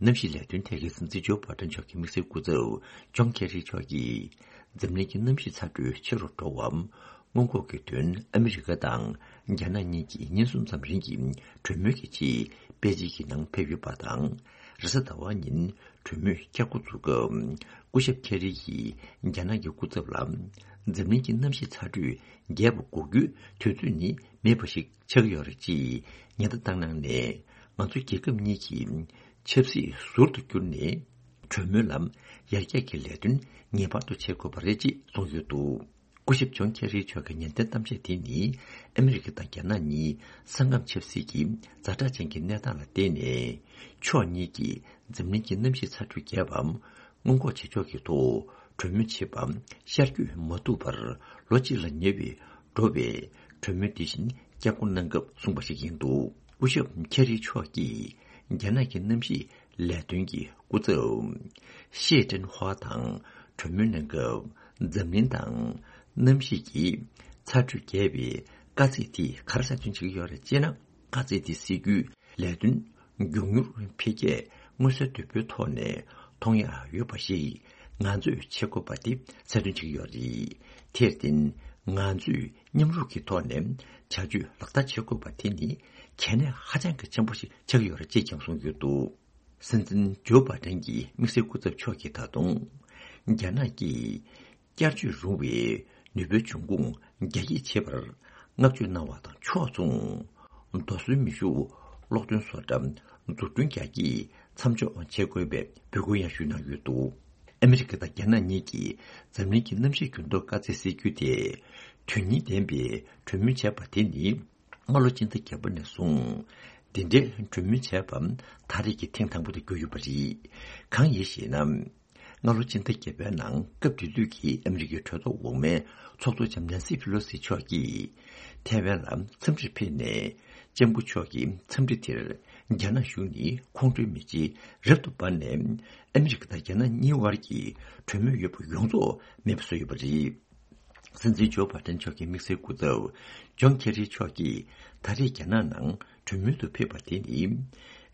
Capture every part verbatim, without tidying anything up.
གནམ་གཤིས་ལས་དོན་ཐད་ཀྱི་སྲིད་འཛིན་ཇོ་བྷ་ཏན་མཆོག་གི་དམིགས་བསལ་སྐུ་ཚབ་ཇོན་ཁེ་རི་མཆོག་གིས། འཛམ་གླིང་གི་གནམ་གཤིས་ཚ་དྲོད་ཆེ་རུ་འགྲོ་བའམ་སྔོན་འགོག་གི་དོན་ཨ་མི་རི་ཀ་དང་རྒྱ་ནག་གཉིས་ཀྱིས་ཉིན་གསུམ་ཙམ་རིང་གི་གྲོས་མོལ་གྱི་ཆེད་པེ་ཅིང་གི་ནང་ཕེབས་ཡོད་པ་དང་། རེས་གཟའ་ཟླ་བ་ཉིན་གྲོས་མོལ་བསྐྱར་འགོ་འཛུགས་སྐབས། སྐུ་ཞབས་ཁེ་རི་ཡིས་རྒྱ་ནག་གི་སྐུ་ཚབ་ལ། འཛམ་གླིང་གི་གནམ་གཤིས་ཚ་དྲོད་རྒྱས་པ་འགོག་རྒྱུའི་དུས་ཚོད་ནི་མེད་པ་ཞིག་ཆགས་ཀྱི་ཡོད་རེད་ཅེས་ཉེན་བརྡ་བཏང་གནང་ནས། ང་ཚོ་རྒྱལ་ཁབ་གཉིས་ཀྱི་ཆབ་སྲིད་ཟུར་དུ་བསྐྱུར་ནས། གྲོས་མོལ་ལམ་ཡར་རྒྱས་ཀྱི་ལས་དོན་ངེས་པར་དུ་བྱེད་དགོས་པ་རེད་ཅེས་གསུངས་ཡོད་འདུག་སྐུ་ཞབས་ཇོན་ཁེ་རི་མཆོག་གི་ཉེན་བརྡའི་གཏམ་བཤད་དེ་ནི། ཨ་མི་རི་ཀ་དང་རྒྱ་ནག་གཉིས་ས་ཁམས་ཆབ་སྲིད་ཀྱི་ཛ་དྲག་ཅན་གྱི་གནས་སྟངས་ལ་བརྟེན་ནས། ཕྱོགས་གཉིས་ཀྱིས་འཛམ་གླིང་གི་གནམ་གཤིས་ཚ་དྲོད་རྒྱས་པའམ་སྔོན་འགོག་བྱེད་ཕྱོགས་ཀྱི་ཐོག་གྲོས་མོལ་བྱེད་པ་ཤར་བསྐྱོད་མ་ཐུབ་པར་ལོ་གཅིག་ལ་ཉེ་བའི་འགྲོ་བའི་གྲོས་མོལ་དེ་བཞིན་བསྐྱར་འགོ་གནང་སྐབས་གསུངས་པ་ཞིག་ཡིན་འདུག་སྐུ་ཞབས་ཁེ་རི་མཆོག་གིས་རྒྱ་ནག་གི་གནམ་གཤིས་ལས་དོན་གྱི་སྐུ་ཚབ་ཤེ་ཀྲེན་ཧྭ་དང་གྲོས་མོལ་གནང་སྐབས། འཛམ་གླིང་དང་གནམ་གཤིས་ཀྱི་ཚ་དྲོད་རྒྱས་པའི་དཀའ་ཚེགས་དེ་ག་རེ་གསལ་སྟོན་བྱེད་ཀྱི་ཡོད་རེད་ཅེ་ན། དཀའ་ཚེགས་དེ་སེལ་རྒྱུའི་ལས་དོན་མགྱོགས་མྱུར་འཕེལ་རྒྱས་མངོན་གསལ་དོད་པོའི་ཐོག་ནས་མཐོང་ཡག་ཡོད་པ་ཞིག་ང་ཚོས་བྱེད་དགོས་པ་དེ་གསལ་སྟོན་བྱེད་ཀྱི་ཡོད་རེད། དེར་བརྟེན་ང་ཚོས་མཉམ་རུབ་ཀྱི་ཐོག་ནས་བྱ་སྤྱོད་ལག་བསྟར་བྱེད་དགོས་པ་དེ་ནི་གལ་གནད་ཧ་ཅང་གི་ཆེན་པོ་ཞིག་ཆགས་ཀྱི་ཡོད་རེད་ཅེས་ཀྱང་གསུངས་ཡོད་འདུག་སྲིད་འཛིན་ཇོ་བྷ་ཏན་གྱི་དམིགས་བསལ་སྐུ་ཚབ་མཆོག་གིས་ད་དུང་། རྒྱ་ནག་གིས་བསྐྱར་བཅོས་རུང་བའི་ནུས་པའི་འབྱུང་ཁུངས་རྒྱ་སྐྱེད་བྱེད་པར་བསྔགས་བརྗོད་གནང་བ་དང་ཕྱོགས་མཚུངས། རྡོ་སོལ་མེ་ཤུགས་གློག་འདོན་བཟོ་གྲྭ་འཛུགས་སྐྲུན་རྒྱ་སྐྱེད་མཚམས་འཇོག་བྱེད་དགོས་པའི་འབོད་སྐུལ་ཡང་ཞུས་གནང་ཡོད་འདུག་ཨ་མི་རི་ཀ་དང་རྒྱ་ནག་གཉིས་ཀྱིས་འཛམ་གླིང་གི་གནམ་གཤིས་འགྱུར་ལྡོག་དཀའ་ཚེགས་སེལ་རྒྱུ་དེ། དོན་སྙིང་ལྡན་པའི་གྲོས་མོལ་བྱས་པ་དེ་ནི། སྔ་ལོ་སྤྱི་ཟླ་བརྒྱད་པ་ནས་བཟུང་། འདི་འདྲའི་གྲོས་མོལ་བྱས་པ་ད་རེས་ཀྱི་ཐེངས་དང་པོ་དེ་གྱུར་ཡོད་པ་རེད། གང་ཡིན་ཞེ་ན། སྔ་ལོ་སྤྱི་ཟླ་བརྒྱད་པའི་ནང་སྐབས་དེ་དུས་ཀྱི་ཨ་མི་རི་ཀའི་གྲོས་ཚོགས་འོག་མའི་ཚོགས་གཙོ་ལྕམ་ནན་སི་ཕི་ལོ་སི་མཆོག་གིས་ཐའེ་ཝན་ལ་འཚམས་འདྲིར་ཕེབས་ནས། ལྕམ་སྐུ་མཆོག་གི་འཚམས་འདྲི་དེར་རྒྱ་ནག་གཞུང་ནི་ཁོང་ཁྲོའི་མེ་ལྕེ་རབ་ཏུ་འབར་ནས། ཨ་མི་རི་ཀ་དང་རྒྱ་ནག་གཉིས་དབར་གྱི་གྲོས་མོལ་ཡོད་པ་ཡོངས་རྫོགས་མེད་པ་བཟོས་ཡོད་པ་རེད། སྲིད་འཛིན་ཇོ་བྷ་ཏན་མཆོག་གི་དམིགས་བསལ་སྐུ་ཚབ་ཇོན་ཁེ་རི་མཆོག་གིས་ད་རེས་རྒྱ་ནག་ནང་གྲོས་མོལ་དུ་ཕེབས་པ་དེ་ནི།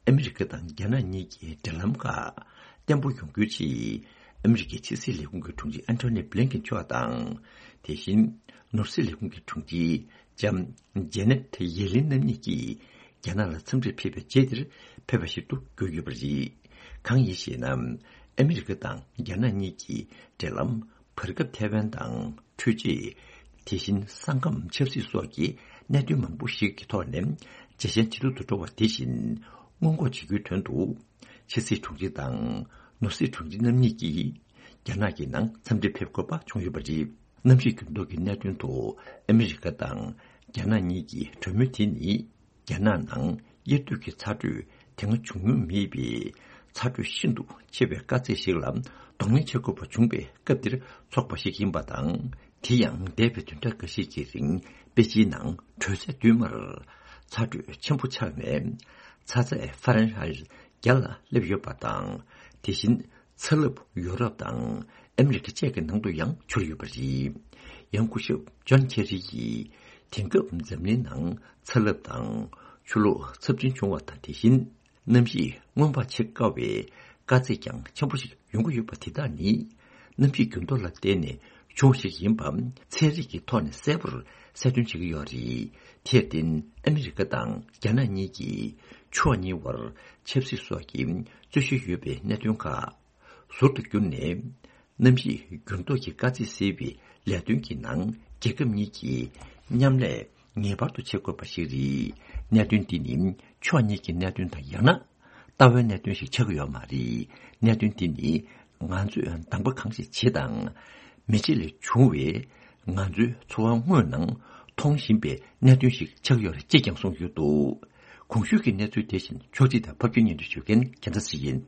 ཨ་མི་རི་ཀ་དང་རྒྱ་ནག་གཉིས་ཀྱི་འབྲེལ་ལམ་ཁག་བརྟན་པོ་ཡོང་རྒྱུའི་ཆེད། ཨ་མི་རི་ཀའི་ཕྱི་སྲིད་ལས་ཁུངས་ཀྱི་དྲུང་ཆེ་ཨན་ཐོ་ནི་བྷི་ལིན་ཀེན་མཆོག་དང་། དེ་བཞིན་ནོར་སྲིད་ལས་ཁུངས་ཀྱི་དྲུང་ཆེ་ལྕམ་ཇེ་ནེ་ཐི་ཡེ་ལིན་རྣམ་གཉིས་ཀྱིས་རྒྱ་ནག་ལ་འཚམས་འདྲིར་ཕེབས་པའི་རྗེས་དེར་ཕེབས་པ་ཞིག་ཏུ་གྱུར་ཡོད་པ་རེད། གང་ཡིན་ཞེ་ན། ཨ་མི་རི་ཀ་དང་རྒྱ་ནག་གཉིས་ཀྱི་འབྲེལ་ལམ། བར་སྐབས་ཐའེ་ཝན་དང་འཕྲུལ་ཆས། དེ་བཞིན་ས་ཁམས་ཆབ་སྲིད་སོགས་ཀྱི་གནད་དོན་མང་པོ་ཞིག་གི་ཐོག་ནས་ཇེ་ཞན་ཇེ་སྡུག་ཏུ་འགྲོ་བ་དེ་བཞིན་སྔོན་འགོག་བྱེད་རྒྱུའི་དོན་དུ། ཕྱི་སྲིད་དྲུང་ཆེ་དང་ནོར་སྲིད་དྲུང་ཆེ་རྣམ་གཉིས་ཀྱིས་རྒྱ་ནག་གི་ནང་འཚམས་འདྲིར་ཕེབས་དགོས་པ་བྱུང་ཡོད་པ་རེད། གནམ་གཤིས་འགྱུར་ལྡོག་གི་གནད་དོན་ཐོག་ཨ་མི་རི་ཀ་དང་རྒྱ་ནག་གཉིས་ཀྱི་གྲོས་མོལ་དེ་ནི། རྒྱ་ནག་ནང་དབྱར་དུས་ཀྱི་ཚ་དྲོད་དེ་སྔ་བྱུང་མྱོང་མེད་པའི་ཚ་དྲོད་ཤིན་ཏུ་ཆེ་བའི་དཀའ་ཚེགས་ཤིག་ལ་གདོང་ལེན་བྱེད་དགོས་པ་བྱུང་བའི་སྐབས་དེར་ཚོགས་པ་ཞིག་ཡིན་པ་དང་། དེ་ཡང་འདས་པའི་བདུན་ཕྲག་འགའ་ཤས་ཀྱི་རིང་པེ་ཅིན་ནང་དྲོད་ཚད་བསྟུད་མར་ཚ་དྲོད་ཆེན་པོ་ཆགས་ནས་ཚ་ཚད་ཧྥ་རན་ཧའེ་བརྒྱ་ལ་སླེབས་ཡོད་པ་དང་། དེ་བཞིན། ཚ་རླབས་ཡོ་རོབ་དང་ཨ་མི་རི་ཀ་བཅས་ཀྱི་ནང་དུ་ཡང་འཕྱུར་ཡོད་པ་རེད། ཡང་སྐུ་ཞབས་ཇོན་ཁེ་རི་ཡིས་དེང་སྐབས་འཛམ་གླིང་ནང་ཚ་རླབས་དང་ཆུ་ལོག་ཚབས་ཆེན་བྱུང་བ་དང་དེ་བཞིན་གནམ་གཤིས་སྔོན་དཔག་བྱེད་དཀའ་བའི་དཀའ་ཚེགས་ཀྱང་ཆེན་པོ་ཞིག་ཡོང་གི་ཡོད་པ་དེ་དག་ནི་གནམ་གཤིས་འགྱུར་ལྡོག་ལ་བརྟེན་ནས་བྱུང་བ་ཞིག་ཡིན་པ་ཚན་རིག་གི་ཐོག་ནས་གསལ་པོར་གསལ་སྟོན་བྱེད་ཀྱི་ཡོད་རེད། དེར་བརྟེན་ཨ་མི་རི་ཀ་དང་རྒྱ་ནག་གཉིས་ཀྱིས་ཕྱོགས་གཉིས་བར་ཆབ་སྲིད་སོགས་ཀྱི་རྩོད་གཞི་ཡོད་པའི་གནད་དོན་ཁག་ཟུར་དུ་བསྐྱུར་ནས། གནམ་གཤིས་འགྱུར་ལྡོག་གི་དཀའ་ཚེགས་སེལ་བའི་ལས་དོན་གྱི་ནང་རྒྱལ་ཁབ་གཉིས་ཀྱིས་མཉམ་ལས་ངེས་པར་དུ་བྱེད་དགོས་པ་ཞིག་རེད། གནད་དོན་འདི་ནི་ཕྱོགས་གཉིས་ཀྱི་གནད་དོན་དང་ཡང་ན་ལྟ་བའི་གནད་དོན་ཞིག་ཆགས་ཀྱི་ཡོད་མ་རེད། གནད་དོན་འདི་ནི་ང་ཚོས་འདང་པ་གང་ཞིག་བྱེད་དང་མི་བྱེད་ལས་བྱུང་བའི་ང་ཚོའི་འཚོ་བ་དངོས་ནང་མཐོང་བཞིན་པའི་གནད་དོན་ཞིག་ཆགས་ཀྱི་ཡོད་རེད་ཅེས་ཀྱང་གསུངས་ཡོད་འདུག་གོང་ཞུས་ཀྱི་གནས་ཚུལ་དེ་བཞིན་ཕྱོགས་སྒྲིག་དང་ཕབ་སྒྱུར་སྙན་སྒྲོན་ཞུ་མཁན་རྒྱལ་མཚན་ཞིག་ཡིན།